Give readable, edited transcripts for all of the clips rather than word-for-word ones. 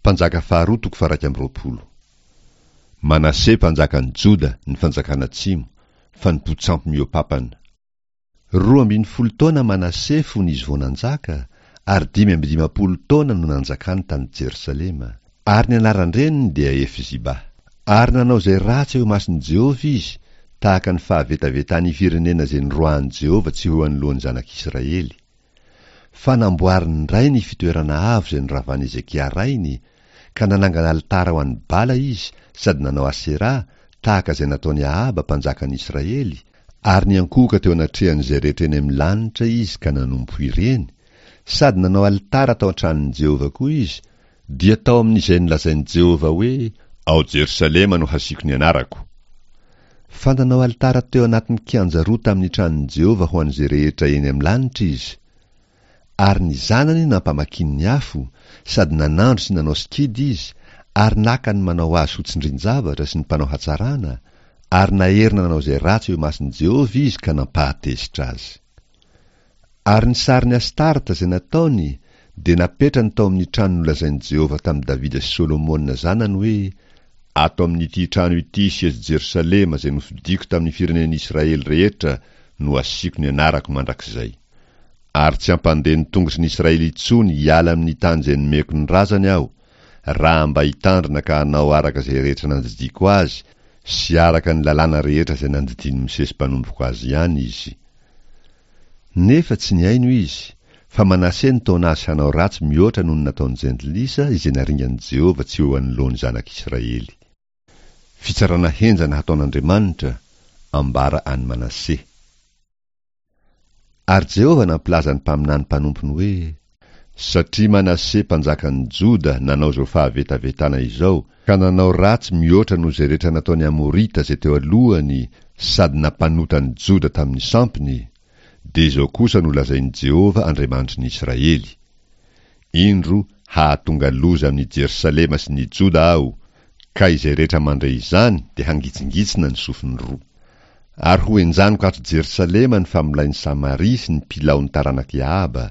Mpanjaka faharoa toko faha-21. Manase mpanjakan'i Joda, ny fanjakana atsimo, fanompoan-tsampy mihoa-papana. 12 taona Manase fony izy vao nanjaka, ary 55 taona no nanjakany tany Jerosalema. Ary ny anaran-dreniny dia Hefziba. Ary nanao izay ratsy eo imason'i Jehovah izy, tahaka ny fahavetavetan'ny firenena izay noroahan'i Jehovah tsy ho eo anoloan'ny zanak'Israely. Fa namboariny indray ny fitoerana avo izay noravan'i Hezekia rainy, ka nanangana alitara ho an'i Bala izy sady nanao Aseraha tahaka izay nataon'i Ahaba mpanjakan'i Israely, ary niankohoka teo anatrehan'izay rehetra eny amin'ny lanitra izy ka nanompo ireny, sady nanao alitara tao an-tranon'i Jehovah koa izy, dia tao amin'izay nolazain'i Jehovah hoe, Ao Jerosalema no hasiako ny anarako. Fa nanao alitara teo anatin'ny kianja roa tamin'ny tranon'i Jehovah ho an'izay rehetra eny amin'ny lanitra izy. Ary ny zanany nampamakiany ny afo, sady nanandro sy nanao sikidy izy, ary naka ny manao azy ho tsindrin-javatra sy ny mpanao hatsarana, ary naherina nanao izay ratsy eo imason'i Jehovah izy ka nampahatezitra azy. Ary ny sarin'i Astarta izay nataony dia napetrany tao amin'ny trano nolazain'i Jehovah tamin'i Davida sy Solomona zanany hoe, Ato amin'ity trano ity sy eto Jerosalema izay nofidiko tamin'ny firenen'Israely rehetra no hasiako ny anarako mandrakizay. Ary tsy hampandeha ny tongotry ny Israely intsony hiala amin'ny tany izay nomeko ny razany aho, raha mba hitandrina ka hanao araka izay rehetra nandidiako azy sy araka ny lalàna rehetra izay nandidian'i Mosesy mpanompoko azy ihany izy. Nefa tsy nihaino izy, fa Manase nitaona azy hanao ratsy mihoatra noho ny nataon'ny jentilisa izay naringan'i Jehovah tsy ho eo anoloan'ny zanak'Israely. Fitsarana henjana hataon'Andriamanitra, ambara an'i Manase. Ary Jehovah nampilaza ny mpaminany mpanompony hoe, Satria Manase mpanjakan'ny Joda nanao izao fahavetavetana izao, ka nanao ratsy mihoatra noho izay rehetra nataon'ny Amorita izay teo alohany sady nampanota ny Joda tamin'ny sampiny, dia izao kosa no lazain'i Jehovah Andriamanitry ny Israely, Indro hahatonga loza amin'i Jerosalema sy ny Joda Aho, ka izay rehetra mandre izany dia hangitsingitsina ny sofiny roa. Ary hohenjaniko ato Jerosalema ny famolain'i Samaria sy ny pilaon'ny taranak'i Ahaba,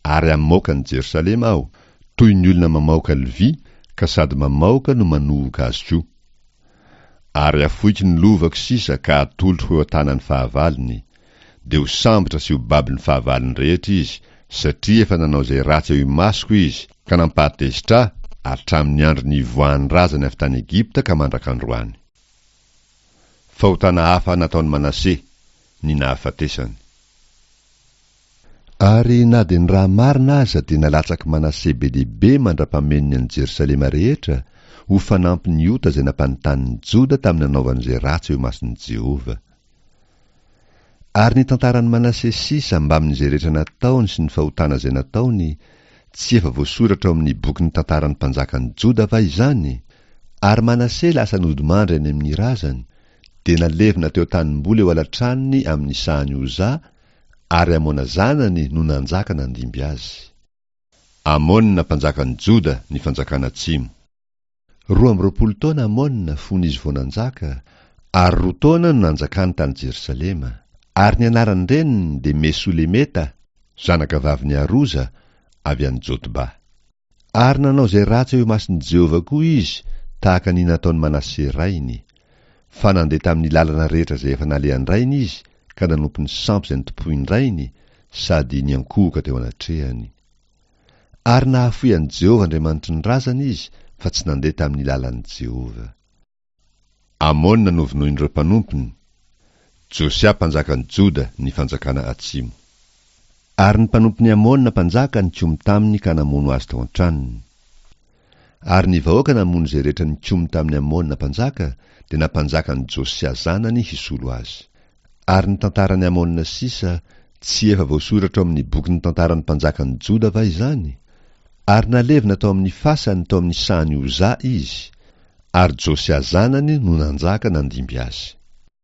ary hamoaka an'i Jerosalema Aho, toy ny olona mamaoka lovia, ka sady mamaoka no manohoka azy koa. Ary hafoiko ny lovako sisa ka hatolotro ho eo an-tanan'ny fahavalony, dia ho sambotra sy ho babon'ny fahavalony rehetra izy, satria efa nanao izay ratsy eo imasoko izy, ka nampahatezitra ahy hatramin'ny andro nivoahan'ny razany avy tany Egypta ka mandrak'androany. Fahotana hafa nataon'i Manase, ny nahafatesany. Ary na dia ny raha marina aza dia nalatsak'i Manase be dia be mandra-pamenony an'i Jerosalema rehetra, ho fanampin'ny ota izay nampanontanin'i Joda tamin'ny nanaovany izay ratsy eo imason'i Jehovah. Ary ny tantaran'i Manase sisa mbamin'izay rehetra nataony sy ny fahotana izay nataony, tsy efa voasoratra ao amin'ny bokin'ny tantaran'ny mpanjakan'i Joda va izany? Ary Manase lasa nodimandry any amin'ny razany, dia nalevina teo an-tanimboly eo ala-tranony amin'ny sahan'i Oza, Ary Amona zanany no nanjaka nandimby azy. Amona mpanjakan'i Joda ny fanjakana atsimo. 22 taona Amona fony izy vao nanjaka, ary roa taona no nanjakany tany Jerosalema. Ary ny anaran-dreniny dia Mesolemeta, zanakavavin'i Aroza, avy any Jotba. Ary nanao izay ratsy eo imason'i Jehovah koa izy, tahaka ny nataon'i Manase rainy. Fa nandeha tamin'ny lalana rehetra izay efa nalehan-drainy izy, ka nanompo ny sampy izay notompoin-drainy, sady niankohoka teo anatrehany. Ary nahafoy an'i Jehovah Andriamanitry ny razany izy, fa tsy nandeha tamin'ny lalan'i Jehovah. Amona novonoin'ireo mpanompony, Josia mpanjakan'i Joda ny fanjakana atsimo. Ary ny mpanompon'i Amona mpanjaka nikomy taminy ka namono azy tao an-tranony. Ary ny vahoaka namono izay rehetra nikomy tamin'i Amona mpanjaka, dia nampanjaka an'i Josia zanany hisolo azy. Ary ny tantaran'i Amona sisa, tsy efa voasoratra ao amin'ny bokin'ny tantaran'ny mpanjakan'i Joda va izany? Ary nalevina tao amin'ny fasany tao amin'ny sahan'i Oza izy, ary Josia zanany no nanjaka nandimby azy.